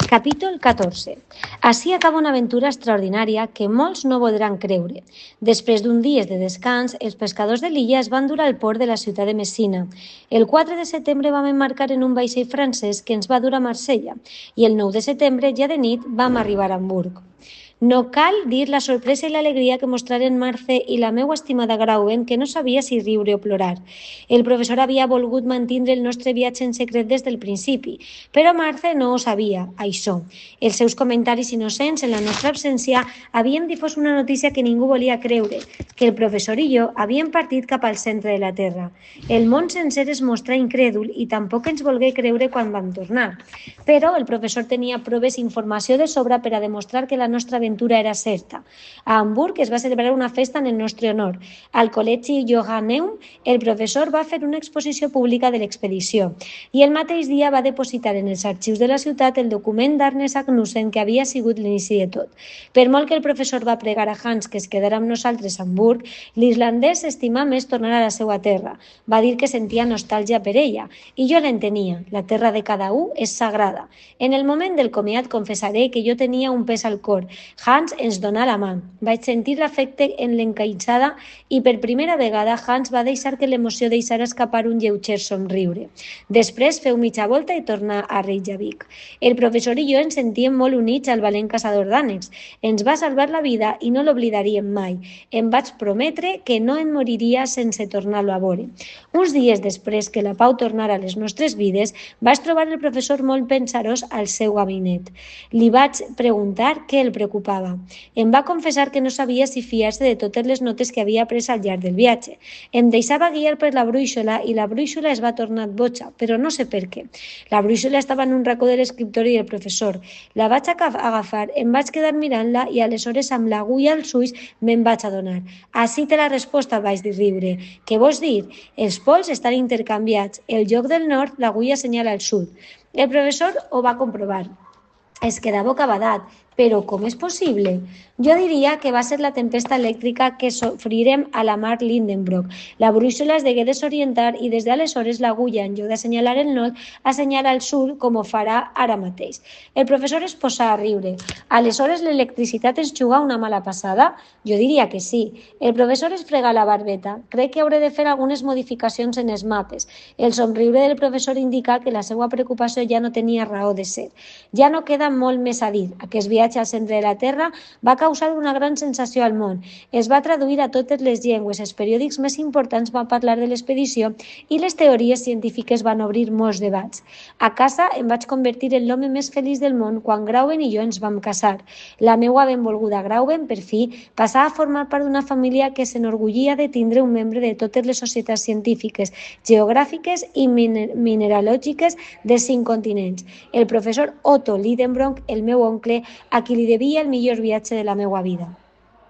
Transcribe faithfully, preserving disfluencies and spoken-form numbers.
Capítol catorze. Ací acaba una aventura extraordinària que molts no voldran creure. Després d'un dies de descans, els pescadors de l'illa es van dur al port de la ciutat de Messina. El quatre de setembre vam embarcar en un vaixell francès que ens va dur a Marsella i el nou de setembre, ja de nit, vam arribar a Hamburg. No cal dir la sorpresa i l'alegria que mostraren Marce i la meua estimada Grauben, que no sabia si riure o plorar. El professor havia volgut mantindre el nostre viatge en secret des del principi, però Marce no ho sabia, això. Els seus comentaris innocents en la nostra absència havien difós una notícia que ningú volia creure, que el professor i jo havíem partit cap al centre de la Terra. El món sencer es mostrà incrèdul i tampoc ens volgué creure quan vam tornar. Però el professor tenia proves i informació de sobra per a demostrar que la nostra aventura era certa. A Hamburg es va celebrar una festa en el nostre honor. Al Col·legi Johanneum, el professor va fer una exposició pública de l'expedició i el mateix dia va depositar en els arxius de la ciutat el document d'Arne Sagnussen que havia sigut l'inici de tot. Per molt que el professor va pregar a Hans que es quedara amb nosaltres a Hamburg, l'islandès estimà més tornar a la seva terra. Va dir que sentia nostàlgia per ella i jo l'entenia. La terra de cada un és sagrada. En el moment del comiat confessaré que jo tenia un pes al cor. Hans ens donà la mà. Vaig sentir l'afecte en l'encaïtzada i per primera vegada Hans va deixar que l'emoció deixara escapar un lleuger somriure. Després feu mitja volta i tornà a Reykjavik. El professor i jo ens sentíem molt units al valent caçador d'ànecs. Ens va salvar la vida i no l'oblidaríem mai. Em vaig prometre que no en moriria sense tornar-lo a veure. Uns dies després que la pau tornara a les nostres vides, vaig trobar el professor molt pensarós al seu gabinet. Li vaig preguntar què el preocupava. Em va confessar que no sabia si fiar-se de totes les notes que havia pres al llarg del viatge. Em deixava guiar per la brúixola i la brúixola es va tornar boja, però no sé per què. La brúixola estava en un racó de l'escriptori del professor. La vaig agafar, em vaig quedar mirant-la i aleshores amb l'agulla als ulls me'n vaig adonar. Ací té la resposta, vaig dir riure. Què vols dir? Els pols estan intercanviats. El lloc del nord, l'agulla senyala al sud. El professor ho va comprovar. Es quedà bocabadat. Però com és possible? Jo diria que va ser la tempesta elèctrica que sofrirem a la mar Lindenbrock. La brúixola es degué desorientar i des d'aleshores l'agulla, en lloc d'assenyalar el nord, assenyala al sud com ho farà ara mateix. El professor es posà a riure. Aleshores l'electricitat ens juga una mala passada? Jo diria que sí. El professor es frega la barbeta. Crec que hauré de fer algunes modificacions en els mapes. El somriure del professor indica que la seva preocupació ja no tenia raó de ser. Ja no queda molt més a dir. Aquest viatge al centre de la Terra va causar una gran sensació al món. Es va traduir a totes les llengües, els periòdics més importants van parlar de l'expedició i les teories científiques van obrir molts debats. A casa em vaig convertir en l'home més feliç del món quan Grauben i jo ens vam casar. La meua benvolguda Grauben, per fi, passà a formar part d'una família que s'enorgullia de tindre un membre de totes les societats científiques, geogràfiques i mineralògiques de cinc continents. El professor Otto Lidenbrock, el meu oncle, a qui li devia el millor viatge de la meva vida.